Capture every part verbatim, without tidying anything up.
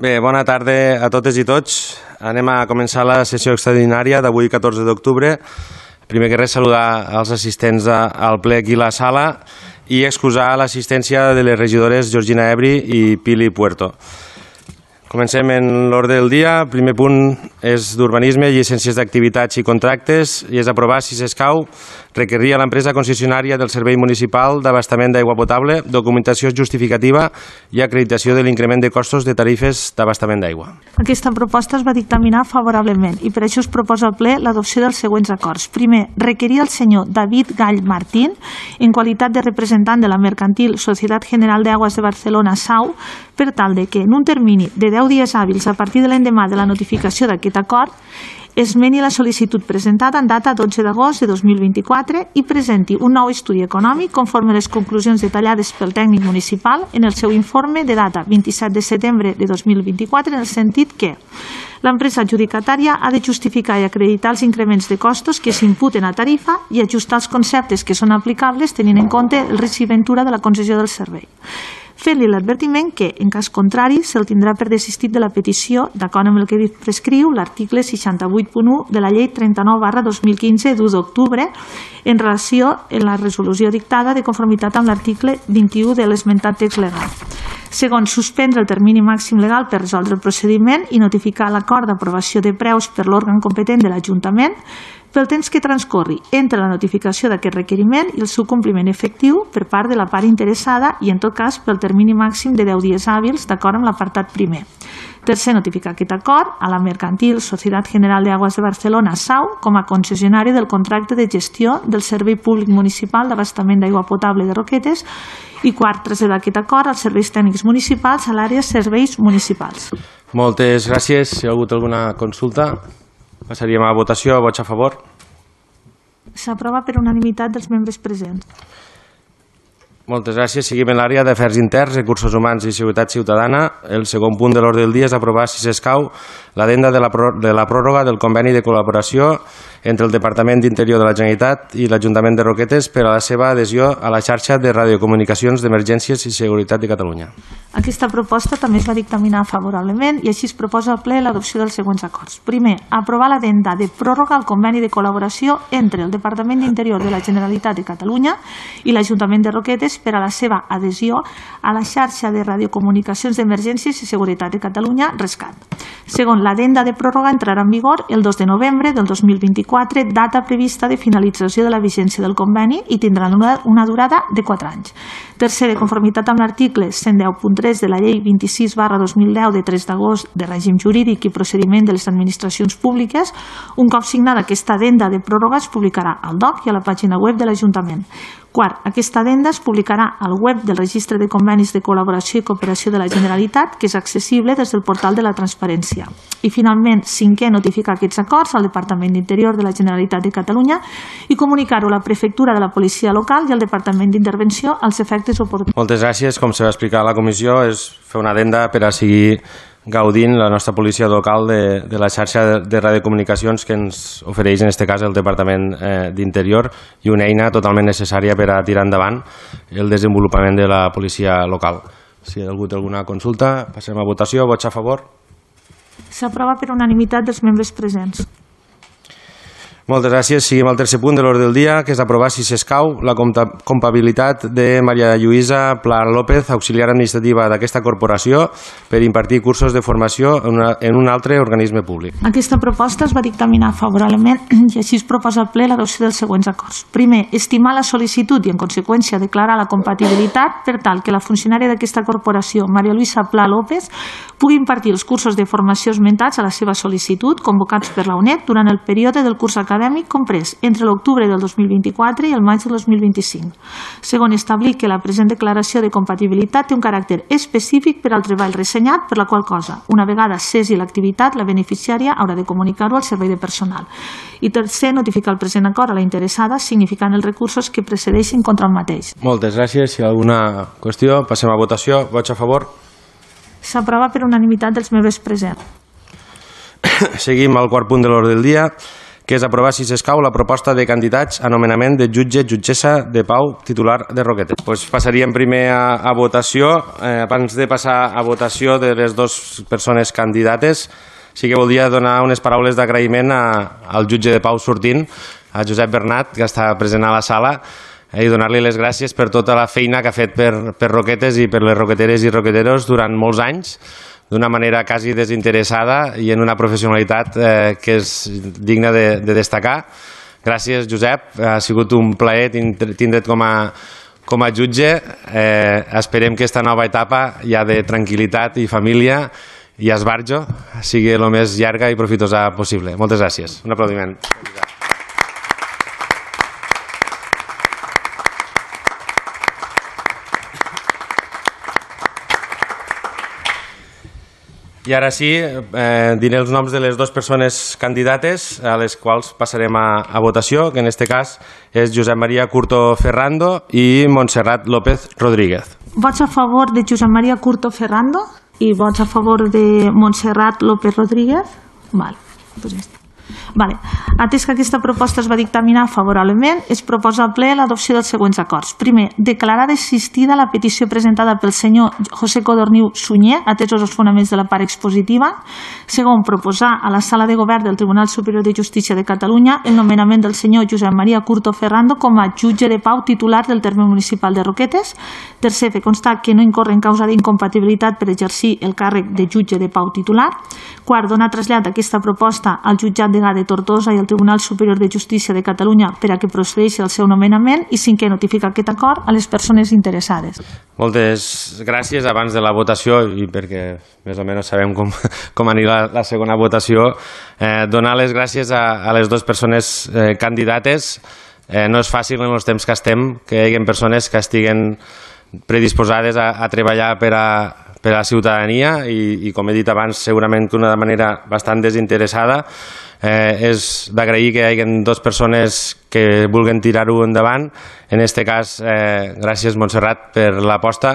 Bé, bona tarda a totes i tots. Anem a començar la sessió extraordinària d'avui, catorze d'octubre. Primer que res, saludar els assistents al ple aquí a la sala i excusar l'assistència de les regidores Georgina Ebri i Pili Puerto. Comencem en l'ordre del dia. El primer punt és d'urbanisme, llicències d'activitats i contractes, i és aprovar, si s'escau, requerir a l'empresa concessionària del Servei Municipal d'Abastament d'Aigua Potable documentació justificativa i acreditació de l'increment de costos de tarifes d'abastament d'aigua. Aquesta proposta es va dictaminar favorablement i per això es proposa al ple l'adopció dels següents acords. Primer, requerir al senyor David Gall Martín, en qualitat de representant de la mercantil Societat General de Aguas de Barcelona, S A U, per tal de que en un termini de deu dies hàbils a partir de l'endemà de la notificació d'aquest acord esmeni la sol·licitud presentada en data dotze d'agost de dos mil vint-i-quatre i presenti un nou estudi econòmic conforme a les conclusions detallades pel tècnic municipal en el seu informe de data vint-i-set de setembre de dos mil vint-i-quatre, en el sentit que l'empresa adjudicatària ha de justificar i acreditar els increments de costos que s'imputen a tarifa i ajustar els conceptes que són aplicables tenint en compte el risc i ventura de la concessió del servei. Fent-li l'advertiment que, en cas contrari, se'l tindrà per desistit de la petició, d'acord amb el que prescriu l'article seixanta-vuit punt u de la llei trenta-nou barra dos mil quinze d'u d'octubre en relació amb la resolució dictada de conformitat amb l'article vint-i-u de l'esmentat text legal. Segon, suspendre el termini màxim legal per resoldre el procediment i notificar l'acord d'aprovació de preus per l'òrgan competent de l'Ajuntament pel temps que transcorri entre la notificació d'aquest requeriment i el seu compliment efectiu per part de la part interessada i, en tot cas, pel termini màxim de deu dies hàbils, d'acord amb l'apartat primer. Tercer, notificar aquest acord a la mercantil Societat General de Aguas de Barcelona, S A U, com a concessionari del contracte de gestió del Servei Públic Municipal d'Abastament d'Aigua Potable de Roquetes. I quart, traslladar aquest acord als serveis tècnics municipals a l'àrea serveis municipals. Moltes gràcies. Si hi ha hagut alguna consulta, passaríem a votació. Vots a favor? S'aprova per unanimitat dels membres presents. Moltes gràcies. Seguim en l'àrea d'Afers Interns, Recursos Humans i Seguretat Ciutadana. El segon punt de l'ordre del dia és aprovar, si s'escau, l'addenda de la pròrroga del conveni de col·laboració entre el Departament d'Interior de la Generalitat i l'Ajuntament de Roquetes per a la seva adhesió a la xarxa de radiocomunicacions d'Emergències i Seguretat de Catalunya. Aquesta proposta també es va dictaminar favorablement i així es proposa al ple l'adopció dels següents acords. Primer, aprovar l'addenda de pròrroga al conveni de col·laboració entre el Departament d'Interior de la Generalitat de Catalunya i l'Ajuntament de Roquetes per a la seva adhesió a la xarxa de radiocomunicacions d'Emergències i Seguretat de Catalunya, RESCAT. Segon, l'addenda de pròrroga entrarà en vigor el dos de novembre del dos mil vint-i-quatre, data prevista de finalització de la vigència del conveni, i tindrà una durada de quatre anys. Tercer, de conformitat amb l'article cent deu punt tres de la llei vint-i-sis barra dos mil deu de tres d'agost de règim jurídic i procediment de les administracions públiques, un cop signada aquesta addenda de pròrroga es publicarà al D O C i a la pàgina web de l'Ajuntament. Quart, aquesta addenda es publicarà al web del Registre de Convenis de Col·laboració i Cooperació de la Generalitat, que és accessible des del portal de la Transparència. I finalment, cinquè, notificar aquests acords al Departament d'Interior de la Generalitat de Catalunya i comunicar-ho a la Prefectura de la Policia Local i al Departament d'Intervenció als efectes oportuns. Moltes gràcies. Com se va explicar a la comissió, és fer una addenda per a seguir gaudint la nostra policia local de, de la xarxa de radiocomunicacions que ens ofereix en aquest cas el Departament eh, d'Interior, i una eina totalment necessària per a tirar endavant el desenvolupament de la policia local. Si hi ha hagut alguna consulta, passem a votació. Vots a favor? S'aprova per unanimitat dels membres presents. Moltes gràcies. Seguim al tercer punt de l'ordre del dia, que és aprovar, si s'escau, la comptabilitat de Maria Lluïsa Pla López, auxiliar administrativa d'aquesta corporació, per impartir cursos de formació en, una, en un altre organisme públic. Aquesta proposta es va dictaminar favorablement i així es proposa al ple l'adopció dels següents acords. Primer, estimar la sol·licitud i, en conseqüència, declarar la compatibilitat per tal que la funcionària d'aquesta corporació, Maria Lluïsa Pla López, pugui impartir els cursos de formació esmentats a la seva sol·licitud, convocats per la U N E D durant el període del curs acadèmic comprès entre l'octubre del dos mil vint-i-quatre i el maig del dos mil vint-i-cinc. Segon, establir que la present declaració de compatibilitat té un caràcter específic per al treball ressenyat, per la qual cosa, una vegada cessi l'activitat, la beneficiària haurà de comunicar-ho al servei de personal. I tercer, notificar el present acord a la interessada, significant els recursos que precedeixin contra el mateix. Moltes gràcies. Si hi ha alguna qüestió, passem a votació. Vots a favor? S'aprova per unanimitat dels membres presents. Seguim al quart punt de l'ordre del dia, que és aprovar, si s'escau, la proposta de candidats a nomenament de jutge, jutgessa de pau titular de Roquetes. Pues passaríem primer a, a votació. Eh, abans de passar a votació de les dues persones candidates, sí que voldria donar unes paraules d'agraïment al jutge de pau sortint, a Josep Bernat, que està present a la sala, i donar-li les gràcies per tota la feina que ha fet per, per Roquetes i per les roqueteres i roqueteros durant molts anys, d'una manera quasi desinteressada i en una professionalitat eh, que és digna de, de destacar. Gràcies, Josep. Ha sigut un plaer tindre't com a, com a jutge. Eh, esperem que aquesta nova etapa ja de tranquil·litat i família i esbarjo sigui el més llarga i profitosa possible. Moltes gràcies. Un aplaudiment. I ara sí, eh, diré els noms de les dues persones candidates a les quals passarem a, a votació, que en aquest cas és Josep Maria Curto Ferrando i Montserrat López Rodríguez. Vots a favor de Josep Maria Curto Ferrando i vots a favor de Montserrat López Rodríguez? Vale, pues ja està. Vale. Atès que aquesta proposta es va dictaminar favorablement, es proposa al ple l'adopció dels següents acords. Primer, declarar desistida la petició presentada pel senyor José Codorniu Sunyer, atesos els fonaments de la part expositiva. Segon, proposar a la Sala de Govern del Tribunal Superior de Justícia de Catalunya el nomenament del senyor Josep Maria Curto Ferrando com a jutge de pau titular del terme municipal de Roquetes. Tercer, fer constar que no incorre en causa d'incompatibilitat per exercir el càrrec de jutge de pau titular. Quart, donar trasllat d'aquesta proposta al jutjat de de Tortosa i al Tribunal Superior de Justícia de Catalunya per a que procedeixi el seu nomenament i cinquè, notificar aquest acord a les persones interessades. Moltes gràcies. Abans de la votació, i perquè més o menys sabem com, com anirà la, la segona votació, eh, donar les gràcies a, a les dues persones eh, candidates. Eh, no és fàcil en els temps que estem que hi hagi persones que estiguen predisposades a, a treballar per a per a la ciutadania i, i com he dit abans, segurament que una manera bastant desinteressada. Eh, és d'agrair que hi hagi dues persones que vulguen tirar-ho endavant. En aquest cas, eh, gràcies, Montserrat, per l'aposta.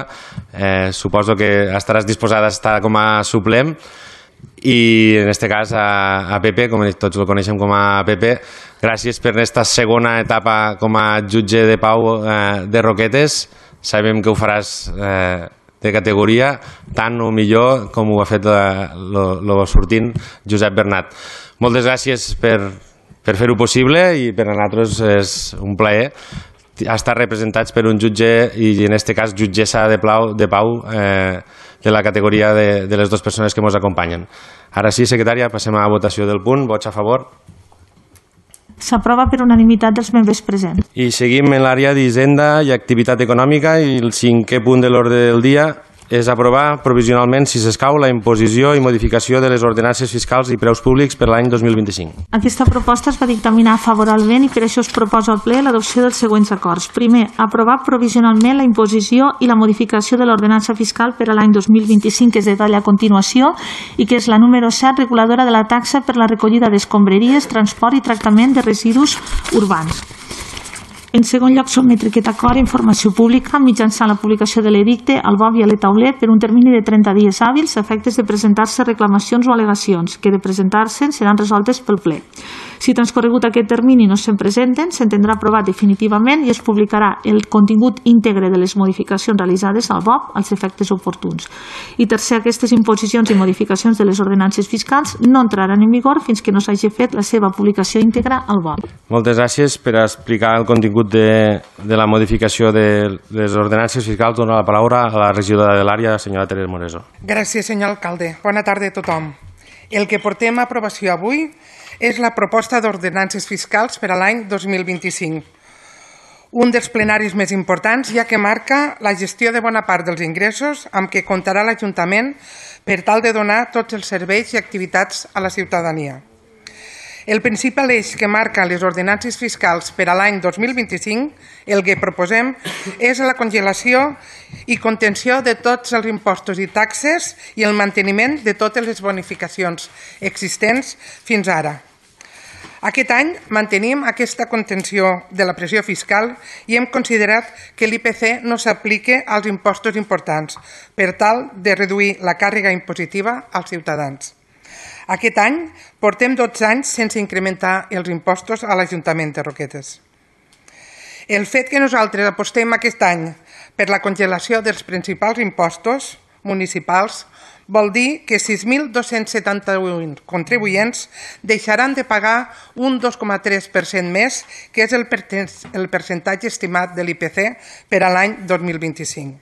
Eh, suposo que estaràs disposada a estar com a suplent. I en aquest cas a, a Pepe, com tots el coneixem com a Pepe, gràcies per aquesta segona etapa com a jutge de pau eh, de Roquetes. Sabem que ho faràs eh, de categoria, tant o millor com ho ha fet el sortint Josep Bernat. Moltes gràcies per, per fer-ho possible i per a nosaltres és un plaer estar representats per un jutge i en aquest cas jutgessa de, plau, de pau eh, de la categoria de, de les dues persones que ens acompanyen. Ara sí, secretària, passem a la votació del punt. Vots a favor? S'aprova per unanimitat dels membres presents. I seguim en l'àrea d'Hisenda i Activitat Econòmica i el cinquè punt de l'ordre del dia és aprovar provisionalment, si s'escau, la imposició i modificació de les ordenances fiscals i preus públics per l'any dos mil vint-i-cinc. Aquesta proposta es va dictaminar favorablement i per això es proposa al ple l'adopció dels següents acords. Primer, aprovar provisionalment la imposició i la modificació de l'ordenança fiscal per a l'any dos mil vint-i-cinc, que es detalla a continuació i que és la número set, reguladora de la taxa per la recollida d'escombraries, transport i tractament de residus urbans. En segon lloc, sotmetre aquest acord a informació pública mitjançant la publicació de l'edicte al B O B i a l'e-taulet per un termini de trenta dies hàbils a efectes de presentar-se reclamacions o al·legacions que de presentar-se seran resoltes pel ple. Si transcorregut aquest termini no se'n presenten, s'entendrà aprovat definitivament i es publicarà el contingut íntegre de les modificacions realitzades al B O B als efectes oportuns. I tercer, aquestes imposicions i modificacions de les ordenances fiscals no entraran en vigor fins que no s'hagi fet la seva publicació íntegra al B O B. Moltes gràcies per explicar el contingut de, de la modificació de les ordenances fiscals. Dono la paraula a la regidora de l'àrea, la senyora Teresa Moreso. Gràcies, senyor alcalde. Bona tarda a tothom. El que portem a aprovació avui és la proposta d'ordenances fiscals per a l'any dos mil vint-i-cinc. Un dels plenaris més importants, ja que marca la gestió de bona part dels ingressos amb què comptarà l'Ajuntament per tal de donar tots els serveis i activitats a la ciutadania. El principal eix que marca les ordenances fiscals per a l'any dos mil vint-i-cinc, el que proposem, és la congelació i contenció de tots els impostos i taxes i el manteniment de totes les bonificacions existents fins ara. Aquest any mantenim aquesta contenció de la pressió fiscal i hem considerat que l'I P C no s'aplique als impostos importants per tal de reduir la càrrega impositiva als ciutadans. Aquest any portem dotze anys sense incrementar els impostos a l'Ajuntament de Roquetes. El fet que nosaltres apostem aquest any per la congelació dels principals impostos municipals vol dir que sis mil dos-cents setanta-un contribuents deixaran de pagar un dos coma tres per cent més, que és el percentatge estimat de l'I P C per a l'any dos mil vint-i-cinc.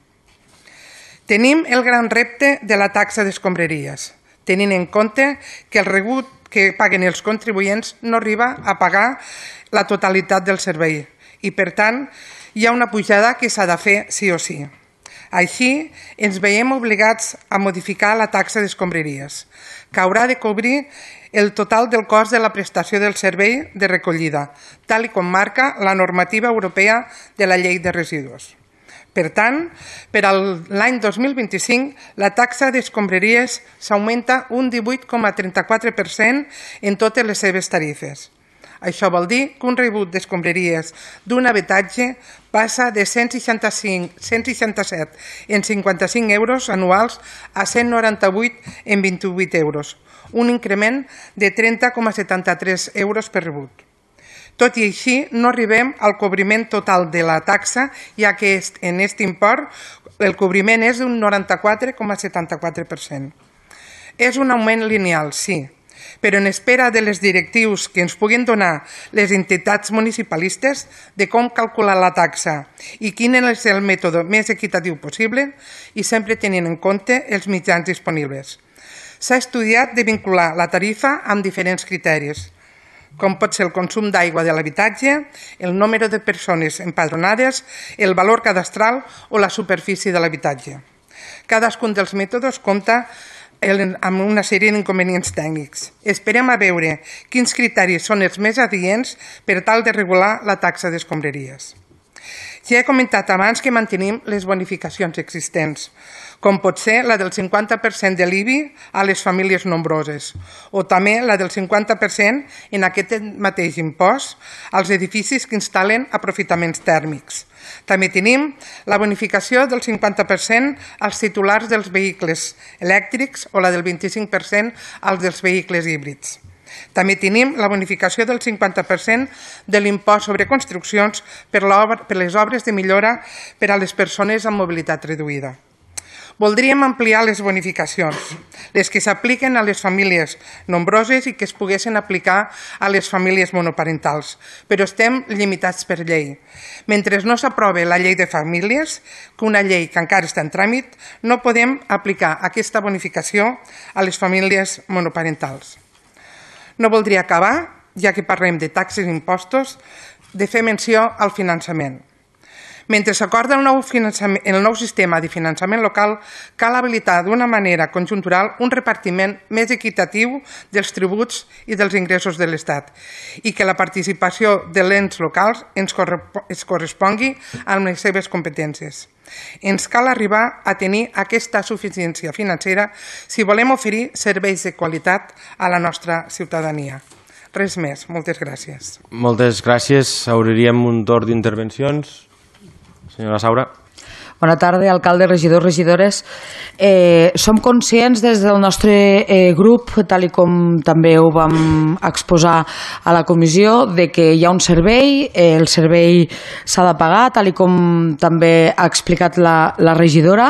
Tenim el gran repte de la taxa d'escombraries, tenint en compte que el rebut que paguen els contribuents no arriba a pagar la totalitat del servei i, per tant, hi ha una pujada que s'ha de fer sí o sí. Així, ens veiem obligats a modificar la taxa d'escombraries, que haurà de cobrir el total del cost de la prestació del servei de recollida, tal com marca la normativa europea de la llei de residus. Per tant, per a l'any dos mil vint-i-cinc, la taxa d'escombraries s'augmenta un divuit coma trenta-quatre per cent en totes les seves tarifes. Això vol dir que un rebut d'escombraries d'un habitatge passa de cent seixanta-cinc, cent seixanta-set en cinquanta-cinc euros anuals a cent noranta-vuit en vint-i-vuit euros, un increment de trenta coma setanta-tres euros per rebut. Tot i així, no arribem al cobriment total de la taxa, ja que en aquest import el cobriment és d'un noranta-quatre coma setanta-quatre per cent. És un augment lineal, sí, però en espera de les directius que ens puguin donar les entitats municipalistes de com calcular la taxa i quin és el mètode més equitatiu possible i sempre tenint en compte els mitjans disponibles. S'ha estudiat de vincular la tarifa amb diferents criteris, com pot ser el consum d'aigua de l'habitatge, el número de persones empadronades, el valor cadastral o la superfície de l'habitatge. Cadascun dels mètodes compta amb una sèrie d'inconvenients tècnics. Esperem a veure quins criteris són els més adients per tal de regular la taxa d'escombraries. Ja he comentat abans que mantenim les bonificacions existents, com pot ser la del cinquanta per cent de l'I B I a les famílies nombroses, o també la del cinquanta per cent en aquest mateix impost als edificis que instal·len aprofitaments tèrmics. També tenim la bonificació del cinquanta per cent als titulars dels vehicles elèctrics o la del vint-i-cinc per cent als dels vehicles híbrids. També tenim la bonificació del cinquanta per cent de l'impost sobre construccions per les obres de millora per a les persones amb mobilitat reduïda. Voldríem ampliar les bonificacions, les que s'apliquen a les famílies nombroses i que es poguessin aplicar a les famílies monoparentals, però estem limitats per llei. Mentre no s'aprove la llei de famílies, que una llei que encara està en tràmit, no podem aplicar aquesta bonificació a les famílies monoparentals. No voldria acabar, ja que parlem de taxes i impostos, de fer menció al finançament. Mentre s'acorda el nou sistema de finançament local, cal habilitar d'una manera conjuntural un repartiment més equitatiu dels tributs i dels ingressos de l'Estat i que la participació de ens locals es correspongui amb les seves competències. Ens cal arribar a tenir aquesta suficiència financera si volem oferir serveis de qualitat a la nostra ciutadania. Res més. Moltes gràcies. Moltes gràcies. Obriríem un torn d'intervencions. Senyora Saura. Bona tarda, alcalde, regidors, regidores. Eh, som conscients des del nostre eh, grup, tal i com també ho vam exposar a la comissió, de que hi ha un servei, eh, el servei s'ha de pagar, tal i com també ha explicat la, la regidora,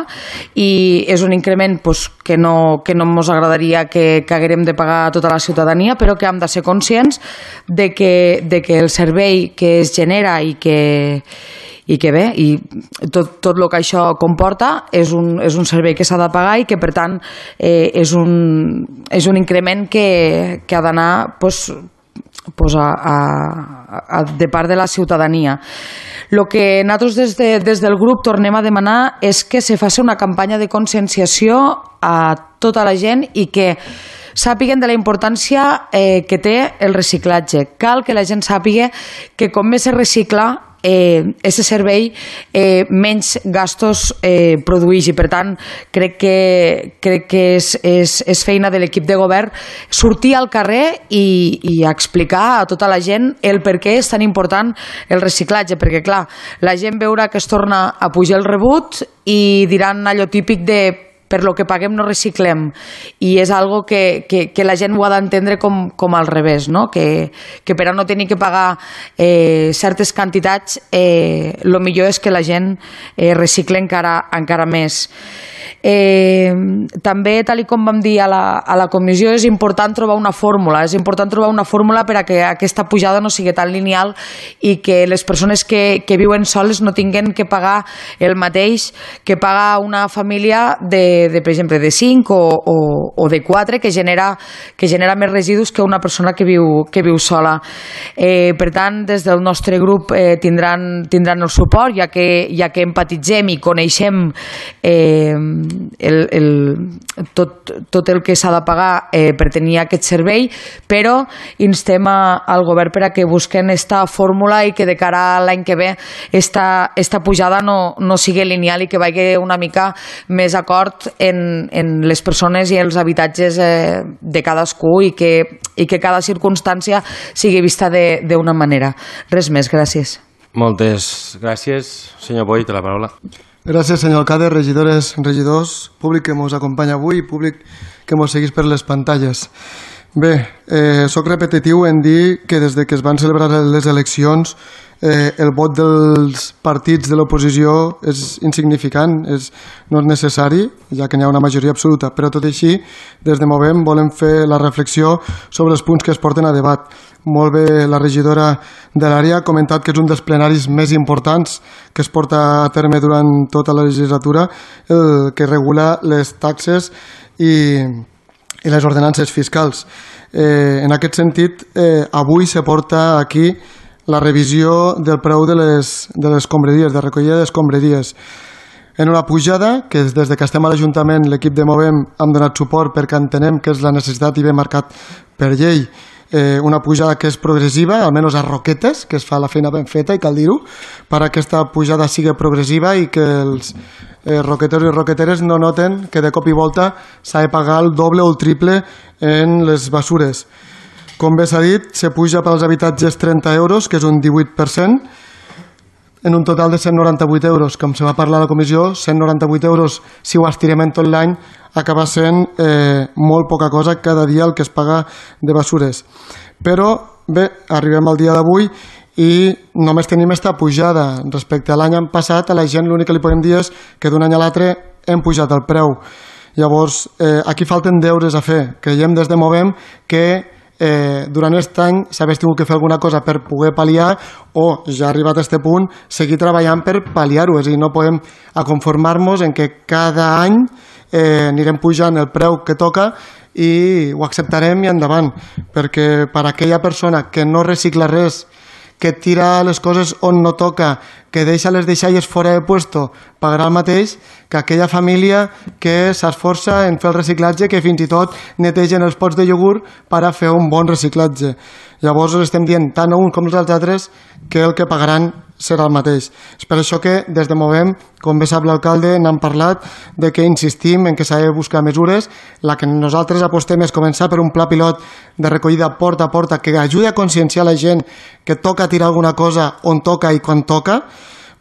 i és un increment pues, que no, que no ens agradaria que, que haguérem de pagar a tota la ciutadania, però que hem de ser conscients de que, de que el servei que es genera i que i que bé, i tot, tot el que això comporta és un, és un servei que s'ha de pagar i que per tant eh, és, un, és un increment que, que ha d'anar pues, pues a, a, a, de part de la ciutadania. El que nosaltres des, de, des del grup tornem a demanar és que se faci una campanya de conscienciació a tota la gent i que sàpiguen de la importància eh, que té el reciclatge. Cal que la gent sàpiga que com més se recicla aquest eh, servei eh, menys gastos eh, produeix i per tant crec que, crec que és, és, és feina de l'equip de govern sortir al carrer i, i explicar a tota la gent el per què és tan important el reciclatge, perquè clar, la gent veurà que es torna a pujar el rebut i diran allò típic de per lo que paguem no reciclem, i és algo que, que, que la gent ho ha d'entendre com, com al revés, no? que, que per a no tenir que pagar eh, certes quantitats eh, el millor és que la gent eh, recicle encara, encara més. Eh, també, tal com vam dir a la, a la comissió, és important trobar una fórmula, és important trobar una fórmula per a que aquesta pujada no sigui tan lineal i que les persones que, que viuen soles no tinguin que pagar el mateix que paga una família de, de per exemple, de cinc o, o, o de quatre, que genera, que genera més residus que una persona que viu, que viu sola. Eh, per tant, des del nostre grup eh, tindran, tindran el suport, ja que, ja que empatitzem i coneixem eh, El, el, tot, tot el que s'ha de pagar eh, per tenir aquest servei, però instem a, al govern per a que busquen esta fórmula i que de cara a l'any que ve esta, esta pujada no, no sigui lineal i que vagi una mica més acord en, en les persones i els habitatges eh, de cadascú i que, i que cada circumstància sigui vista d'una manera. Res més, gràcies. Moltes gràcies. Senyor Boi, té la paraula. Gràcies, senyor alcalde, regidores, regidors, públic que ens acompanya avui i públic que ens segueix per les pantalles. Bé, eh, soc repetitiu en dir que des de que es van celebrar les eleccions eh, el vot dels partits de l'oposició és insignificant, és, no és necessari, ja que n'hi ha una majoria absoluta, però tot i així, des de Movem volem fer la reflexió sobre els punts que es porten a debat. Molt bé, la regidora de l'àrea ha comentat que és un dels plenaris més importants que es porta a terme durant tota la legislatura, el que regula les taxes i, i les ordenances fiscals. Eh, en aquest sentit, eh, avui se porta aquí la revisió del preu de les, de les escombraries, de recollida d'escombraries. En una pujada que des de que estem a l'Ajuntament, l'equip de Movem, hem donat suport perquè entenem que és la necessitat i ben marcat per llei. Eh, una pujada que és progressiva, almenys a Roquetes, que es fa la feina ben feta i cal dir-ho, per a aquesta pujada sigui progressiva i que els eh, roqueteros i roqueteres no noten que de cop i volta s'ha de pagar el doble o el triple en les bessures. Com bé s'ha dit, se puja pels habitatges trenta euros, que és un divuit per cent, en un total de cent noranta-vuit euros. Com se va parlar a la comissió, cent noranta-vuit euros, si ho estirem en tot l'any, acaba sent eh, molt poca cosa cada dia el que es paga de bessures. Però, bé, arribem al dia d'avui i només tenim esta pujada. Respecte a l'any passat, a la gent l'únic que li podem dir és que d'un any a l'altre hem pujat el preu. Llavors, eh, aquí falten deures a fer. Creiem des de Movem que Eh, durant aquest any s'hagués tingut que fer alguna cosa per poder pal·liar o, ja arribat a aquest punt, seguir treballant per pal·liar-ho. És a dir, no podem conformar-nos en que cada any eh, anirem pujant el preu que toca i ho acceptarem i endavant, perquè per a aquella persona que no recicla res, que tira les coses on no toca, que deixa les deixalles fora de puesto, pagarà el mateix que aquella família que s'esforça en fer el reciclatge, que fins i tot netegen els pots de iogurt per a fer un bon reciclatge. Llavors estem dient tant a uns com als altres que el que pagaran serà el mateix. És per això que des de Movem, com bé sap l'alcalde, n'hem parlat de que insistim en que s'ha de buscar mesures. La que nosaltres apostem és començar per un pla pilot de recollida porta a porta que ajudi a conscienciar la gent que toca tirar alguna cosa on toca i quan toca,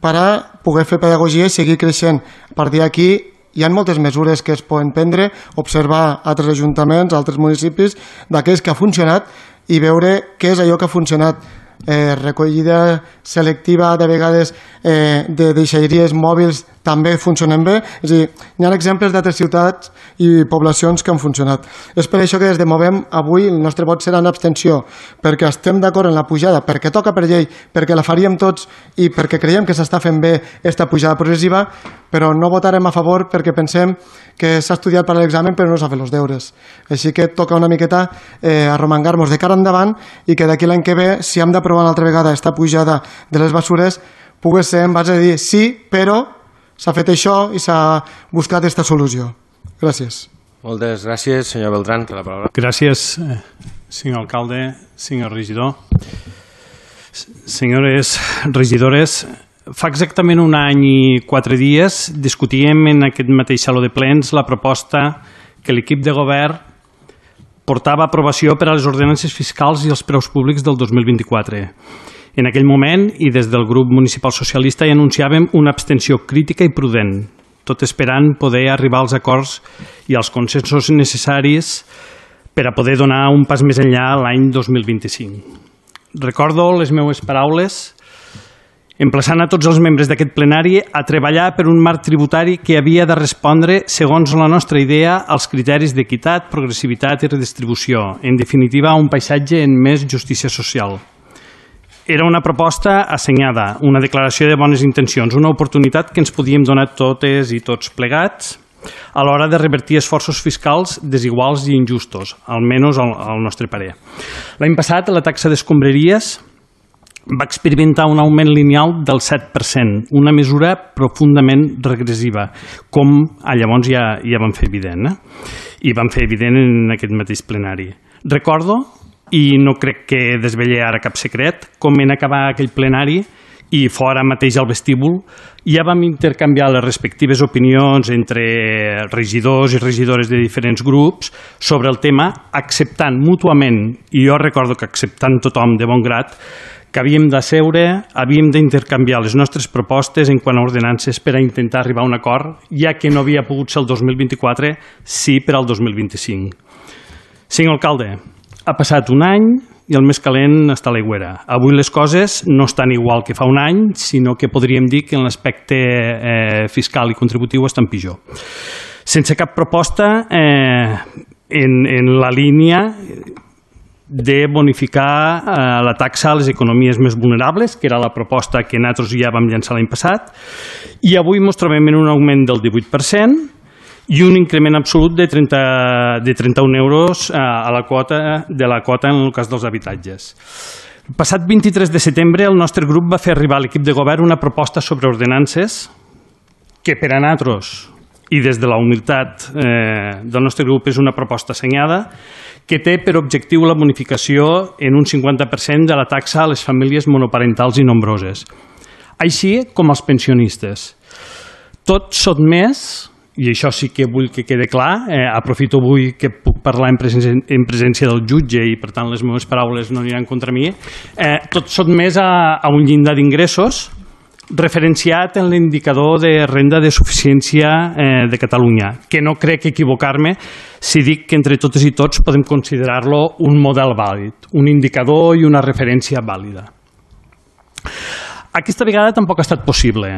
per a poder fer pedagogia i seguir creixent. A partir d'aquí hi ha moltes mesures que es poden prendre, observar altres ajuntaments, altres municipis, d'aquells que ha funcionat i veure què és allò que ha funcionat. Eh, recollida selectiva de vegades eh, de deixalleries mòbils també funcionen bé. És a dir, hi ha exemples d'altres ciutats i poblacions que han funcionat. És per això que des de Movem avui el nostre vot serà en abstenció, perquè estem d'acord en la pujada, perquè toca per llei, perquè la faríem tots i perquè creiem que s'està fent bé aquesta pujada progressiva, però no votarem a favor perquè pensem que s'ha estudiat per a l'examen però no s'ha fet els deures. Així que toca una miqueta eh, arromangar-nos de cara endavant i que d'aquí l'any que ve, si hem d'aprovar una altra vegada aquesta pujada de les bessures, pugui ser en base a dir sí, però s'ha fet això i s'ha buscat aquesta solució. Gràcies. Moltes gràcies, senyor Beltrán, té la paraula. Gràcies, senyor alcalde, senyor regidor. Senyores regidores, fa exactament un any i quatre dies discutíem en aquest mateix saló de plens la proposta que l'equip de govern portava a aprovació per a les ordenances fiscals i els preus públics del dos mil vint-i-quatre. En aquell moment, i des del grup municipal socialista, hi anunciàvem una abstenció crítica i prudent, tot esperant poder arribar als acords i als consensos necessaris per a poder donar un pas més enllà l'any dos mil vint-i-cinc. Recordo les meves paraules emplaçant a tots els membres d'aquest plenari a treballar per un marc tributari que havia de respondre, segons la nostra idea, als criteris d'equitat, progressivitat i redistribució. En definitiva, un paisatge en més justícia social. Era una proposta assenyada, una declaració de bones intencions, una oportunitat que ens podíem donar totes i tots plegats a l'hora de revertir esforços fiscals desiguals i injustos, almenys al, al nostre parer. L'any passat, la taxa d'escombraries va experimentar un augment lineal del set per cent, una mesura profundament regressiva, com llavors ja, ja vam fer evident, eh? I vam fer evident en aquest mateix plenari. Recordo, i no crec que desvelle ara cap secret, com en acabar aquell plenari i fora mateix al vestíbul ja vam intercanviar les respectives opinions entre regidors i regidores de diferents grups sobre el tema, acceptant mútuament, i jo recordo que acceptant tothom de bon grat, que havíem de seure, havíem d'intercanviar les nostres propostes en quant a ordenances per a intentar arribar a un acord, ja que no havia pogut ser el dos mil vint-i-quatre, sí per al dos mil vint-i-cinc. Senyor alcalde, ha passat un any i el més calent està a l'aigüera. Avui les coses no estan igual que fa un any, sinó que podríem dir que en l'aspecte eh, fiscal i contributiu estan pitjor. Sense cap proposta eh, en, en la línia de bonificar eh, la taxa a les economies més vulnerables, que era la proposta que nosaltres ja vam llançar l'any passat, i avui ens trobem en un augment del divuit per cent i un increment absolut de, trenta, de trenta-un euros eh, a la quota, de la quota en el cas dels habitatges. El passat vint-i-tres de setembre el nostre grup va fer arribar a l'equip de govern una proposta sobre ordenances que per a nosaltres i des de la humilitat eh, del nostre grup és una proposta assenyada que té per objectiu la bonificació en un cinquanta per cent de la taxa a les famílies monoparentals i nombroses, així com als pensionistes. Tot sotmès, i això sí que vull que quede clar, eh, aprofito avui que puc parlar en presència, en presència del jutge i per tant les meves paraules no aniran contra mi, eh, tot sotmès a, a un llindar d'ingressos referenciat en l'indicador de renda de suficiència eh, de Catalunya, que no crec equivocar-me si dic que entre totes i tots podem considerar-lo un model vàlid, un indicador i una referència vàlida. Aquesta vegada tampoc ha estat possible.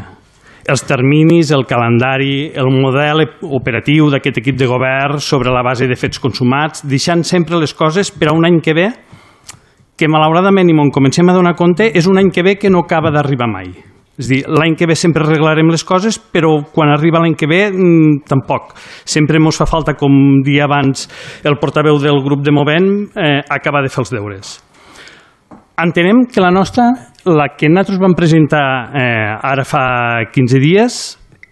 Els terminis, el calendari, el model operatiu d'aquest equip de govern sobre la base de fets consumats, deixant sempre les coses per a un any que ve, que malauradament, i me'n comencem a donar compte, és un any que ve que no acaba d'arribar mai. És a dir, l'any que ve sempre arreglarem les coses, però quan arriba l'any que ve, mmm, tampoc. Sempre ens fa falta, com dia abans el portaveu del grup de Movem, eh, acabar de fer els deures. Entenem que la nostra, la que nosaltres vam presentar eh, ara fa quinze dies,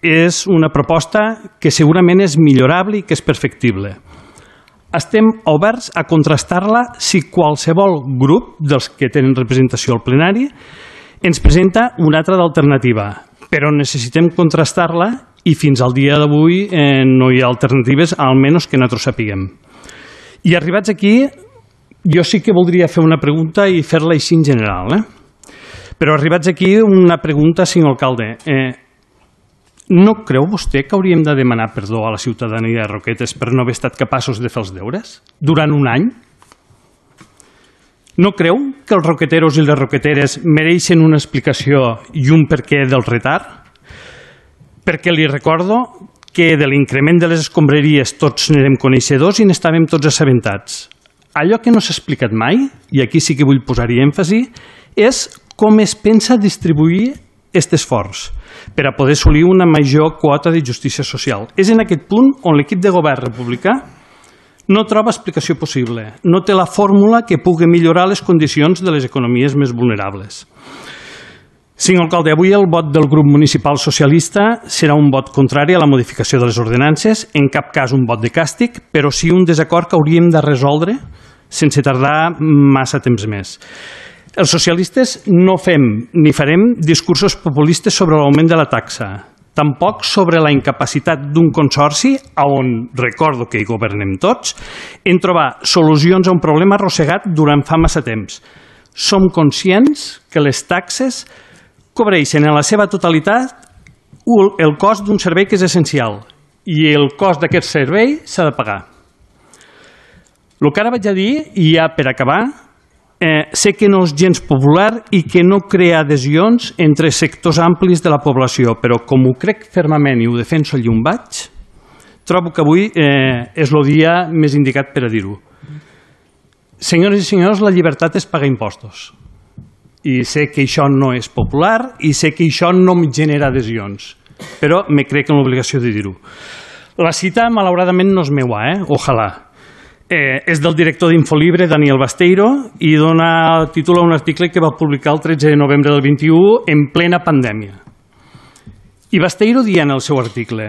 és una proposta que segurament és millorable i que és perfectible. Estem oberts a contrastar-la si qualsevol grup dels que tenen representació al plenari ens presenta una altra d'alternativa, però necessitem contrastar-la i fins al dia d'avui eh, no hi ha alternatives, almenys que nosaltres sapiguem. I arribats aquí, jo sí que voldria fer una pregunta i fer-la així en general, eh? Però arribats aquí, una pregunta, senyor alcalde. Eh, no creu vostè que hauríem de demanar perdó a la ciutadania de Roquetes per no haver estat capaços de fer els deures durant un any? No creu que els roqueteros i les roqueteres mereixen una explicació i un perquè del retard? Perquè li recordo que de l'increment de les escombraries tots n'érem coneixedors i n'estàvem tots assabentats. Allò que no s'ha explicat mai, i aquí sí que vull posar-hi èmfasi, és com es pensa distribuir aquest esforç per a poder assolir una major quota de justícia social. És en aquest punt on l'equip de govern republicà no troba explicació possible, no té la fórmula que pugui millorar les condicions de les economies més vulnerables. Senyor alcalde, avui el vot del grup municipal socialista serà un vot contrari a la modificació de les ordenances, en cap cas un vot de càstig, però sí un desacord que hauríem de resoldre sense tardar massa temps més. Els socialistes no fem ni farem discursos populistes sobre l'augment de la taxa, tampoc sobre la incapacitat d'un consorci, on recordo que hi governem tots, en trobar solucions a un problema arrossegat durant fa massa temps. Som conscients que les taxes cobreixen en la seva totalitat el cost d'un servei que és essencial i el cost d'aquest servei s'ha de pagar. El que ara vaig a dir, i ja per acabar, eh, sé que no és gens popular i que no crea adhesions entre sectors amplis de la població, però com ho crec fermament i ho defenso allí on vaig, trobo que avui eh, és el dia més indicat per a dir-ho. Senyores i senyors, la llibertat és pagar impostos. I sé que això no és popular i sé que això no em genera adhesions, però me crec en l'obligació de dir-ho. La cita, malauradament, no és meua, eh? Ojalà. Eh, és del director d'Infolibre, Daniel Basteiro, i dona títol a un article que va publicar el tretze de novembre del vint-i-u en plena pandèmia. I Basteiro dia en el seu article: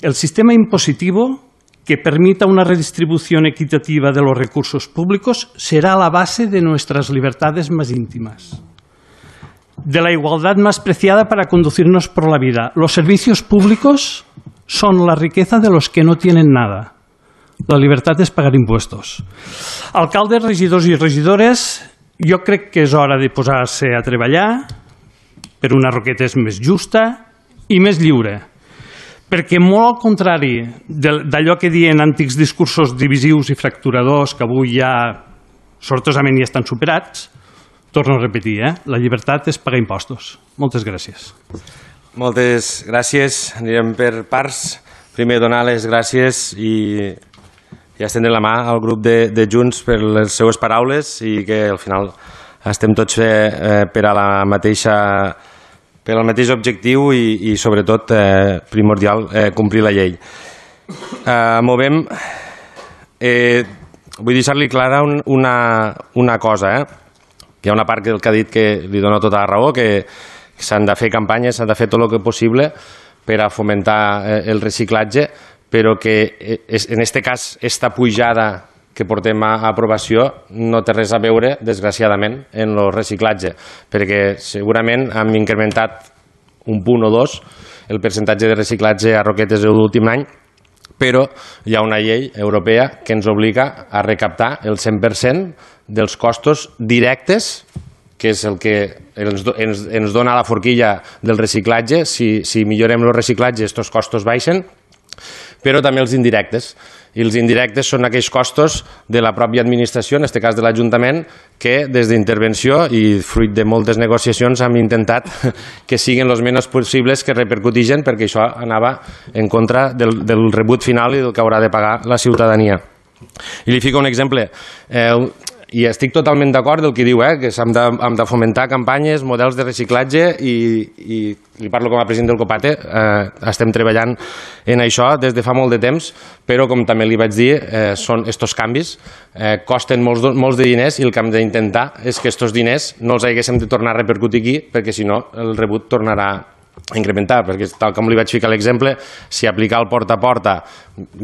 el sistema impositivo que permita una redistribución equitativa de los recursos públicos será la base de nuestras libertades más íntimas, de la igualdad más preciada para conducirnos por la vida. Los servicios públicos son la riqueza de los que no tienen nada. La libertad es pagar impuestos. Alcaldes, regidors i regidores, jo crec que és hora de posar-se a treballar per una Roquetes més justa i més lliure. Perquè molt al contrari d'allò que diuen antics discursos divisius i fracturadors que avui ja sortosament ja estan superats, torno a repetir, eh? La llibertat és pagar impostos. Moltes gràcies. Moltes gràcies. Anirem per parts. Primer donar les gràcies i, i estendre la mà al grup de, de Junts per les seues paraules i que al final estem tots eh, per a la mateixa per al mateix objectiu i, i sobretot, eh, primordial, eh, complir la llei. Eh, movem, eh, vull deixar-li clara un, una, una cosa, eh? Hi ha una part que, que ha dit que li dona tota la raó, que s'han de fer campanyes, s'han de fer tot el que possible per a fomentar eh, el reciclatge, però que és, en aquest cas, esta pujada que portem a aprovació no té res a veure, desgraciadament, en el reciclatge, perquè segurament hem incrementat un punt o dos el percentatge de reciclatge a Roquetes l'últim any, però hi ha una llei europea que ens obliga a recaptar el cent per cent dels costos directes, que és el que ens, ens, ens dona la forquilla del reciclatge. Si, si millorem el reciclatge, aquests costos baixen, però també els indirectes. I els indirectes són aquells costos de la pròpia administració, en aquest cas de l'Ajuntament, que des d'intervenció i fruit de moltes negociacions hem intentat que siguin els menys possibles que repercutixen, perquè això anava en contra del, del rebut final i del que haurà de pagar la ciutadania. I li fico un exemple. Eh, I estic totalment d'acord del que diu, eh, que hem de, hem de fomentar campanyes, models de reciclatge i, i li parlo com a president del COPATE, eh, estem treballant en això des de fa molt de temps, però com també li vaig dir, eh, són estos canvis, eh, costen molts, molts de diners i el que hem d'intentar és que estos diners no els haguéssim de tornar a repercutir aquí, perquè si no el rebut tornarà a incrementar, perquè tal com li vaig ficar l'exemple, si aplicar el porta a porta,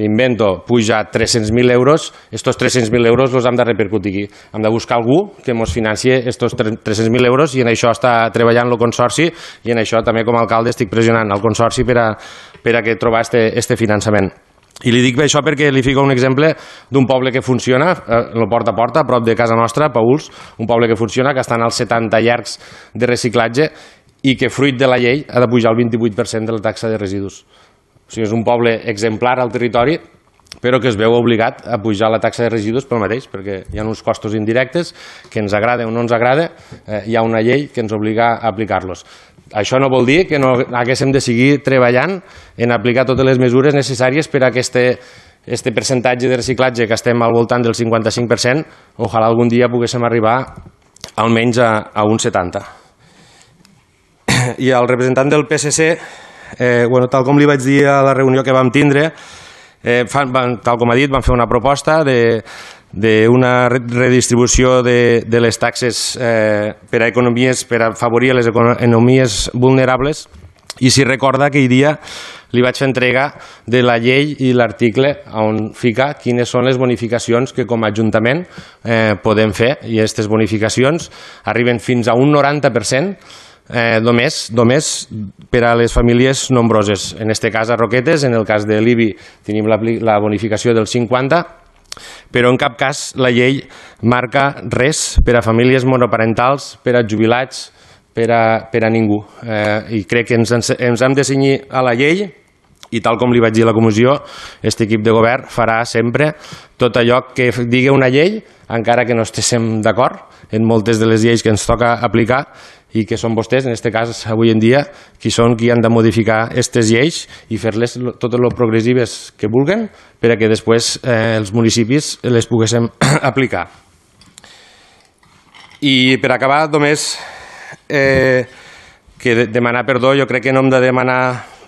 m'invento, puja tres-cents mil euros, estos tres-cents mil euros els hem de repercutir aquí. Hem de buscar algú que ens financi estos tres-cents mil euros i en això està treballant el Consorci i en això també com a alcalde estic pressionant el Consorci per a, per a que trobar este, este finançament. I li dic això perquè li fico un exemple d'un poble que funciona, el porta a porta, a prop de casa nostra, Pauls, un poble que funciona, que estan als setanta llargs de reciclatge i que fruit de la llei ha de pujar el vint-i-vuit per cent de la taxa de residus. O sigui, és un poble exemplar al territori, però que es veu obligat a pujar la taxa de residus pel mateix, perquè hi ha uns costos indirectes que ens agrada o no ens agrada, eh, hi ha una llei que ens obliga a aplicar-los. Això no vol dir que no haguéssim de seguir treballant en aplicar totes les mesures necessàries per a aquest este percentatge de reciclatge que estem al voltant del cinquanta-cinc per cent, ojalà algun dia poguéssim arribar almenys a, a un setanta per cent. I el representant del P S C, eh, bueno, tal com li vaig dir a la reunió que vam tindre, eh, fan, van, tal com ha dit, van fer una proposta d'una redistribució de, de les taxes eh, per a economies, per a afavorir les economies vulnerables, i si recorda aquell dia li vaig fer entrega de la llei i l'article on fica quines són les bonificacions que com a Ajuntament eh, podem fer, i aquestes bonificacions arriben fins a un noranta per cent Eh, només, només per a les famílies nombroses. En aquest cas a Roquetes, en el cas de l'I B I tenim la, la bonificació del cinquanta, però en cap cas la llei marca res per a famílies monoparentals, per a jubilats, per a, per a ningú. Eh, I crec que ens, ens hem de cenyir a la llei i tal com li vaig dir a la comissió, aquest equip de govern farà sempre tot allò que digui una llei, encara que no estiguem d'acord en moltes de les lleis que ens toca aplicar i que són vostès, en aquest cas, avui en dia, qui són qui han de modificar aquestes lleis i fer-les totes les progressives que vulguen per a que després eh, els municipis les poguéssim aplicar. I per acabar, només eh, que de demanar perdó, jo crec que no hem de demanar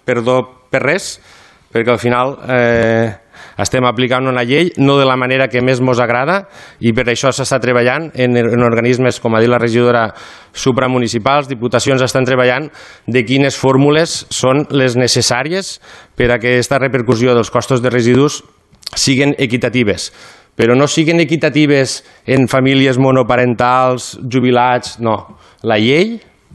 perdó per res, perquè al final eh, estem aplicant una llei no de la manera que més ens agrada i per això s'està treballant en, en organismes, com ha dit la regidora, supramunicipals, diputacions estan treballant de quines fórmules són les necessàries per a que aquesta repercussió dels costos de residus siguin equitatives. Però no siguin equitatives en famílies monoparentals, jubilats, no. La llei,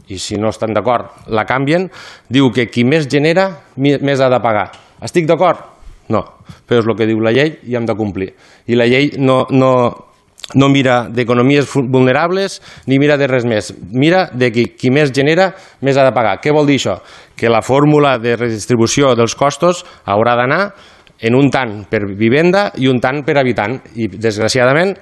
i si no estan d'acord, la canvien, diu que qui més genera, més ha de pagar. Estic d'acord? No, però és el que diu la llei i hem de complir. I la llei no, no, no mira d'economies vulnerables ni mira de res més. Mira de qui, qui més genera, més ha de pagar. Què vol dir això? Que la fórmula de redistribució dels costos haurà d'anar en un tant per vivenda i un tant per habitant. I, desgraciadament,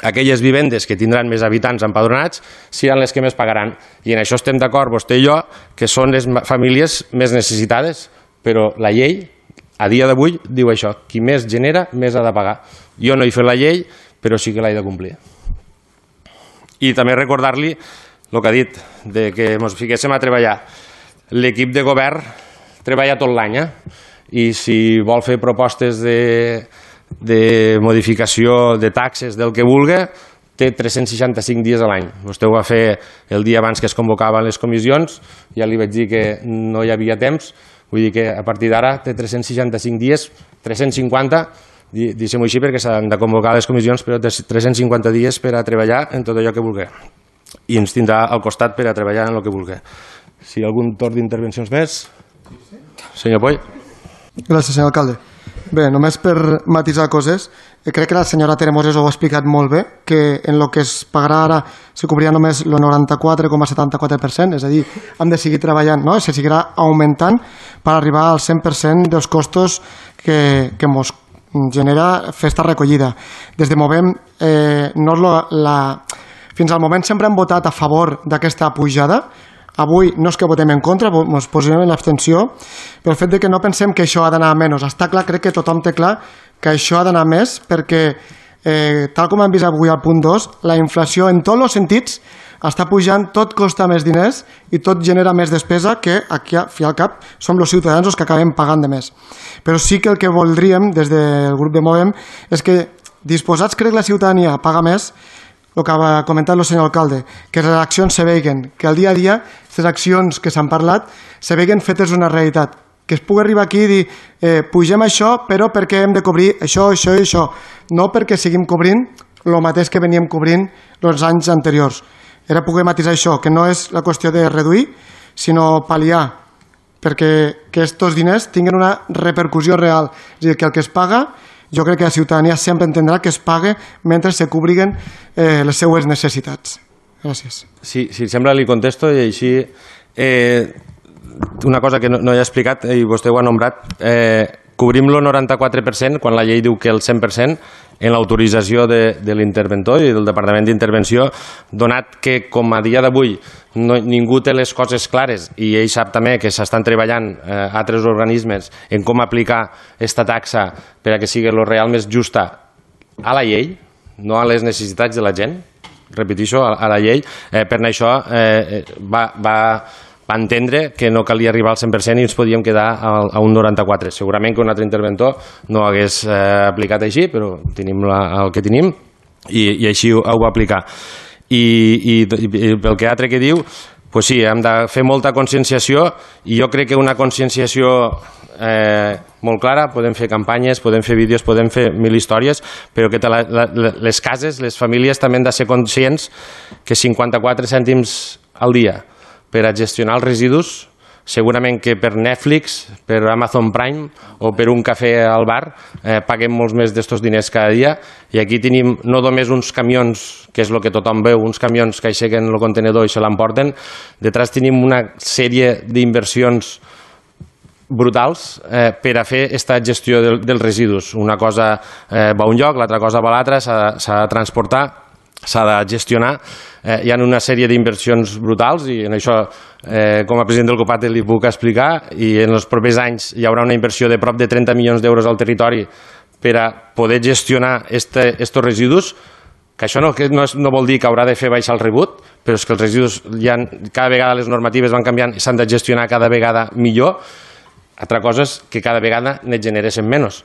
aquelles vivendes que tindran més habitants empadronats seran les que més pagaran. I en això estem d'acord, vostè i jo, que són les famílies més necessitades, però la llei, a dia d'avui, diu això, qui més genera, més ha de pagar. Jo no he fet la llei, però sí que l'he de complir. I també recordar-li el que ha dit, de que ens fiquéssim a treballar. L'equip de govern treballa tot l'any, eh? I si vol fer propostes de, de modificació de taxes, del que vulgui, té tres-cents seixanta-cinc dies a l'any. Vostè ho va fer el dia abans que es convocaven les comissions, ja li vaig dir que no hi havia temps, vull dir que a partir d'ara té tres-cents seixanta-cinc dies, tres-cents cinquanta, deixem-ho així perquè s'han de convocar les comissions, però tres-cents cinquanta dies per a treballar en tot allò que vulgui. I ens tindrà al costat per a treballar en el que vulgui. Si hi ha algun torn d'intervencions més? Senyor Poll. Gràcies, senyor alcalde. Bé, només per matisar coses, crec que la senyora Teremoses ho ha explicat molt bé, que en el que es pagarà ara se cobrirà només el noranta-quatre coma setanta-quatre per cent, és a dir, hem de seguir treballant, no? Se seguirà augmentant per arribar al cent per cent dels costos que, que ens genera fer esta recollida. Des de Movem, eh, no és la, la... fins al moment sempre hem votat a favor d'aquesta pujada. Avui no és que votem en contra, ens posem en l'abstenció, però el fet de que no pensem que això ha d'anar a menys. Està clar, crec que tothom té clar que això ha d'anar més perquè, eh, tal com hem vist avui al punt dos, la inflació en tots els sentits està pujant, tot costa més diners i tot genera més despesa que aquí, al fi al cap, som els ciutadans els que acabem pagant de més. Però sí que el que voldríem des del grup de Movem és que, disposats crec la ciutadania a pagar més, el que ha comentat el senyor alcalde, que les accions se veguen, que al dia a dia les accions que s'han parlat se veguen fetes una realitat, que es pugui arribar aquí i dir eh, pugem això però perquè hem de cobrir això, això i això, no perquè seguim cobrint el mateix que veníem cobrint els anys anteriors. Era poder matisar això, que no és la qüestió de reduir, sinó pal·liar, perquè que aquests diners tinguin una repercussió real, és a dir, que el que es paga, jo crec que la ciutadania sempre entendrà que es pague mentre se cobriguen eh, les seues necessitats. Gràcies. Sí, si sembla li contesto i així eh, una cosa que no, no he explicat i vostè ho ha nombrat, eh, cobrim el noranta-quatre per cent quan la llei diu que el cent per cent en l'autorització de, de l'interventor i del Departament d'Intervenció, donat que com a dia d'avui no, ningú té les coses clares i ell sap també que s'estan treballant eh, altres organismes en com aplicar aquesta taxa per a que sigui el real més justa a la llei, no a les necessitats de la gent, repeteixo, a, a la llei, eh, per això eh, va, va, va entendre que no calia arribar al cent per cent i ens podíem quedar a, a un noranta-quatre. Segurament que un altre interventor no hagués eh, aplicat així, però tenim la, el que tenim i, i així ho, ho va aplicar. I, i, i pel que altre que diu, pues sí, hem de fer molta conscienciació i jo crec que una conscienciació eh, molt clara, podem fer campanyes, podem fer vídeos, podem fer mil històries, però que la, la, les cases, les famílies també han de ser conscients que cinquanta-quatre cèntims al dia per a gestionar els residus segurament que per Netflix, per Amazon Prime o per un cafè al bar eh, paguem molts més d'estos diners cada dia, i aquí tenim no només uns camions, que és el que tothom veu, uns camions que aixequen el contenedor i se l'emporten, detrás tenim una sèrie d'inversions brutals eh, per a fer aquesta gestió del, dels residus. Una cosa eh, va a un lloc, l'altra cosa va a l'altra, s'ha de transportar, s'ha de gestionar. Eh, hi ha una sèrie d'inversions brutals i en això, eh, com a president del COPATE, li puc explicar, i en els propers anys hi haurà una inversió de prop de trenta milions d'euros al territori per a poder gestionar aquests residus, que això no, que no, és, no vol dir que haurà de fer baixar el rebut, però és que els residus, ja, cada vegada les normatives van canviant i s'han de gestionar cada vegada millor. Altra cosa és que cada vegada ne generessin menys.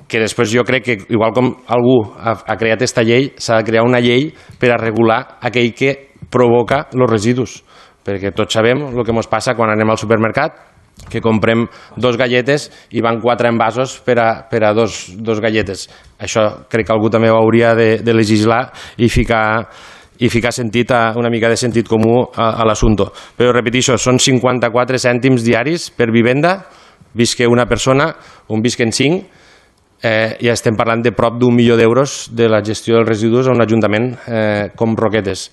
Que després jo crec que, igual com algú ha, ha creat aquesta llei, s'ha de crear una llei per a regular aquell que provoca els residus. Perquè tots sabem el que ens passa quan anem al supermercat, que comprem dos galletes i van quatre envasos per a, per a dos, dos galletes. Això crec que algú també ho hauria de, de legislar i ficar, i ficar sentit a, una mica de sentit comú a, a l'assumpte. Però repeteixo, són cinquanta-quatre cèntims diaris per vivenda, visque una persona, un visquen cinc, eh, i estem parlant de prop d'un milió d'euros de la gestió dels residus a un ajuntament eh, com Roquetes.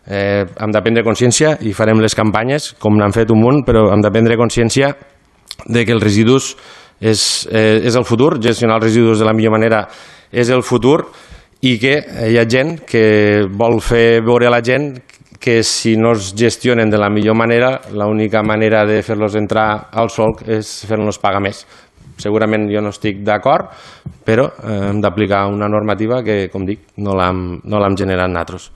Eh, hem de prendre consciència i farem les campanyes, com n'han fet un munt, però hem de prendre consciència de que els residus és, eh, és el futur, gestionar els residus de la millor manera és el futur, i que hi ha gent que vol fer veure a la gent que si no es gestionen de la millor manera, l'única manera de fer-los entrar al solc és fer-los pagar més. Segurament jo no estic d'acord, però eh, hem d'aplicar una normativa que, com dic, no l'hem no l'hem generat nosaltres.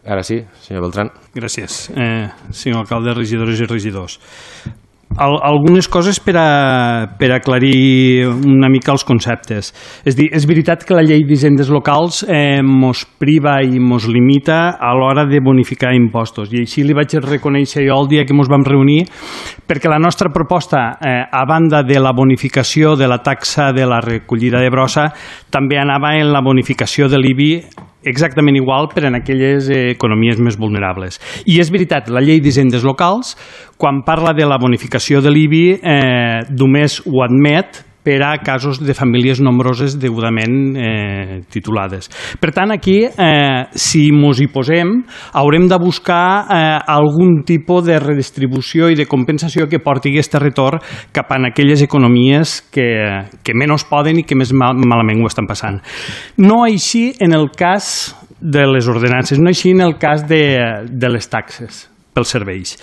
Ara sí, senyor Beltrán. Gràcies, eh, senyor alcalde, regidores i regidors. Al, algunes coses per, a, per aclarir una mica els conceptes. És dir, és veritat que la llei d'hisendes locals eh, mos priva i mos limita a l'hora de bonificar impostos, i així li vaig reconèixer jo el dia que mos vam reunir, perquè la nostra proposta, eh, a banda de la bonificació de la taxa de la recollida de brossa, també anava en la bonificació de l'I B I exactament igual per en aquelles eh, economies més vulnerables. I és veritat, la llei d'hisendes locals, quan parla de la bonificació de l'I B I, eh, només ho admet per a casos de famílies nombroses degudament eh, titulades. Per tant, aquí, eh, si ens hi posem, haurem de buscar eh, algun tipus de redistribució i de compensació que porti aquest retorn cap a aquelles economies que, que menys poden i que més mal, malament ho estan passant. No així en el cas de les ordenances, no així en el cas de, de les taxes pels serveis.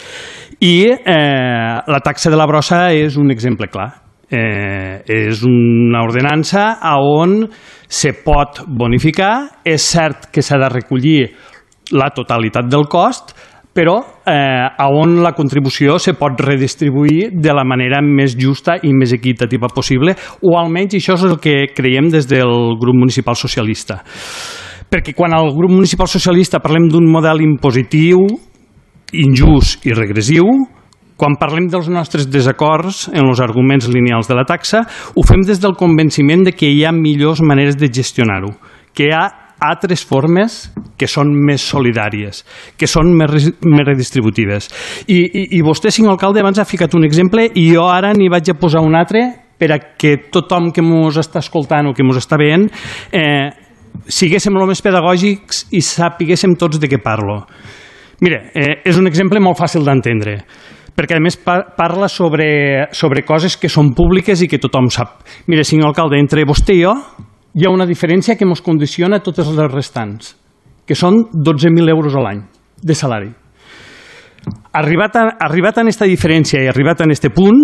I eh, la taxa de la brossa és un exemple clar. Eh, és una ordenança on se pot bonificar. És cert que s'ha de recollir la totalitat del cost, però eh, on la contribució se pot redistribuir de la manera més justa i més equitativa possible, o almenys això és el que creiem des del grup municipal socialista. Perquè quan al grup municipal socialista parlem d'un model impositiu, injust i regressiu, quan parlem dels nostres desacords en els arguments lineals de la taxa, ho fem des del convenciment de que hi ha millors maneres de gestionar-ho, que hi ha altres formes que són més solidàries, que són més, més redistributives. I, i, i vostè, senyor alcalde, abans ha ficat un exemple i jo ara n'hi vaig a posar un altre per a que tothom que ens està escoltant o que ens està veient eh, siguéssim el més pedagògics i sapiguéssim tots de què parlo. Mira, eh, és un exemple molt fàcil d'entendre, perquè a més parla sobre, sobre coses que són públiques i que tothom sap. Mira, senyor alcalde, entre vostè i jo hi ha una diferència que ens condiciona totes les restants, que són dotze mil euros a l'any de salari. Arribat a, arribat a aquesta diferència i arribat a aquest punt,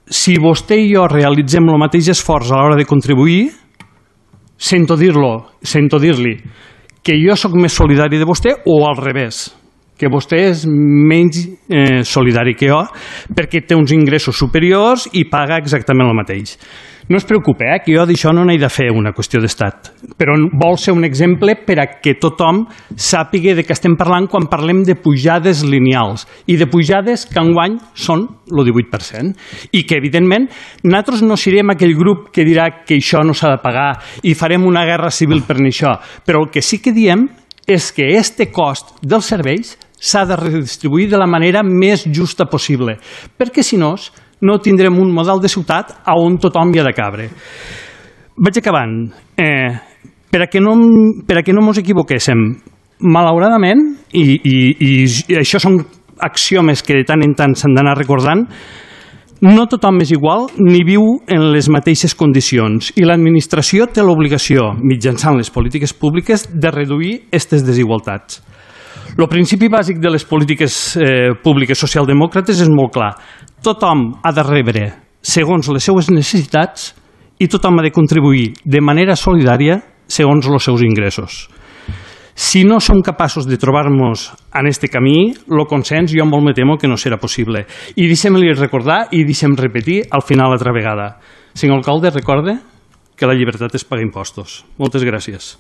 si vostè i jo realitzem el mateix esforç a l'hora de contribuir, sento dir-lo, sento dir-li que jo sóc més solidari de vostè o al revés, que vostè és menys eh, solidari que jo perquè té uns ingressos superiors i paga exactament el mateix. No es preocupi, eh, que jo d'això no n'he de fer una qüestió d'estat, però vol ser un exemple per a que tothom sàpiga de què estem parlant quan parlem de pujades lineals i de pujades que enguany són el divuit per cent i que, evidentment, nosaltres no serem aquell grup que dirà que això no s'ha de pagar i farem una guerra civil per això, però el que sí que diem és que este cost dels serveis s'ha de redistribuir de la manera més justa possible, perquè si no, no tindrem un model de ciutat on tothom hi ha de cabre. Vaig acabant. Eh, per a que no, per a que no mos equivoquéssim, malauradament, i, i, i això són axiomes que de tant en tant s'han d'anar recordant, no tothom és igual ni viu en les mateixes condicions i l'administració té l'obligació, mitjançant les polítiques públiques, de reduir aquestes desigualtats. El principi bàsic de les polítiques eh, públiques socialdemòcrates és molt clar. Tothom ha de rebre segons les seues necessitats i tothom ha de contribuir de manera solidària segons els seus ingressos. Si no som capaços de trobar-nos en aquest camí, el consens jo molt me temo que no serà possible. I deixem-li recordar i deixem repetir al final altra vegada. Senyor alcalde, recorde que la llibertat és pagar impostos. Moltes gràcies.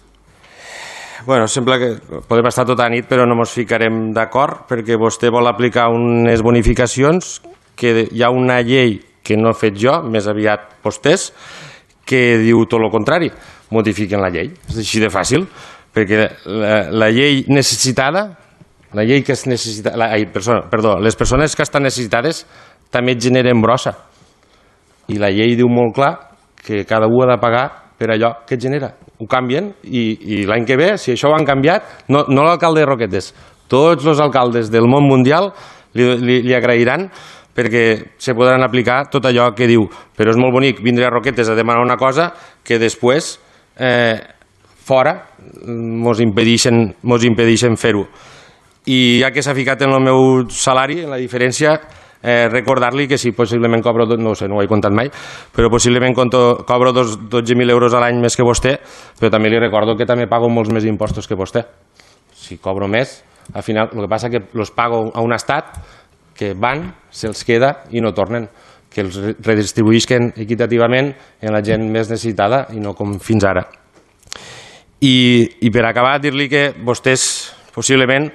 Bueno, sembla que podem estar tota la nit, però no ens ficarem d'acord perquè vostè vol aplicar unes bonificacions que hi ha una llei que no he fet jo, més aviat vostès, que diu tot el contrari. Modifiquen la llei. És així de fàcil. Perquè la, la llei necessitada, la llei que es necessita, la, ai, persona, perdó, les persones que estan necessitades també generen brossa. I la llei diu molt clar que cada un ha de pagar per allò que genera. Ho canvien i, i l'any que ve, si això ho han canviat, no, no l'alcalde de Roquetes, tots els alcaldes del món mundial li, li, li agrairan perquè se podran aplicar tot allò que diu. Però és molt bonic vindre a Roquetes a demanar una cosa que després eh, fora mos impedeixen, mos impedeixen fer-ho. I ja que s'ha ficat en el meu salari, en la diferència, eh, recordar-li que si possiblement cobro, no ho sé, no ho he comptat mai, però possiblement conto, cobro dotze mil euros a l'any més que vostè, però també li recordo que també pago molts més impostos que vostè. Si cobro més, al final, el que passa que els pago a un estat que van, se'ls queda i no tornen, que els redistribuïsquen equitativament en la gent més necessitada i no com fins ara. I, i per acabar, dir-li que vostès possiblement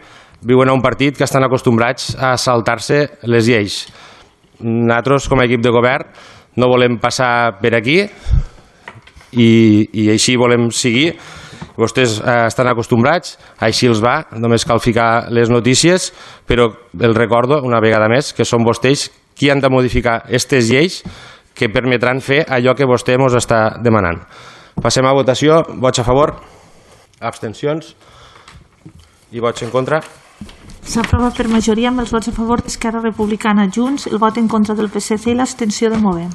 viuen a un partit que estan acostumbrats a saltar-se les lleis. Nosaltres, com a equip de govern, no volem passar per aquí i, i així volem seguir. Vostès eh, estan acostumbrats, així els va, només cal ficar les notícies, però el recordo, una vegada més, que són vostès qui han de modificar aquestes lleis que permetran fer allò que vostè ens està demanant. Passem a votació. Vots a favor? Abstencions? I vots en contra? S'aprova per majoria amb els vots a favor d'Esquerra Republicana, Junts, el vot en contra del P S C i l'abstenció de Movem.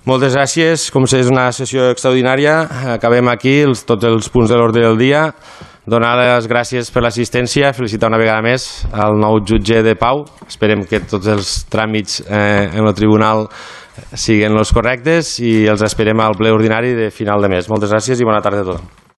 Moltes gràcies. Com és una sessió extraordinària, acabem aquí els, tots els punts de l'ordre del dia. Donar les gràcies per l'assistència, felicitar una vegada més al nou jutge de pau. Esperem que tots els tràmits eh, en el tribunal siguin els correctes i els esperem al ple ordinari de final de mes. Moltes gràcies i bona tarda a tothom.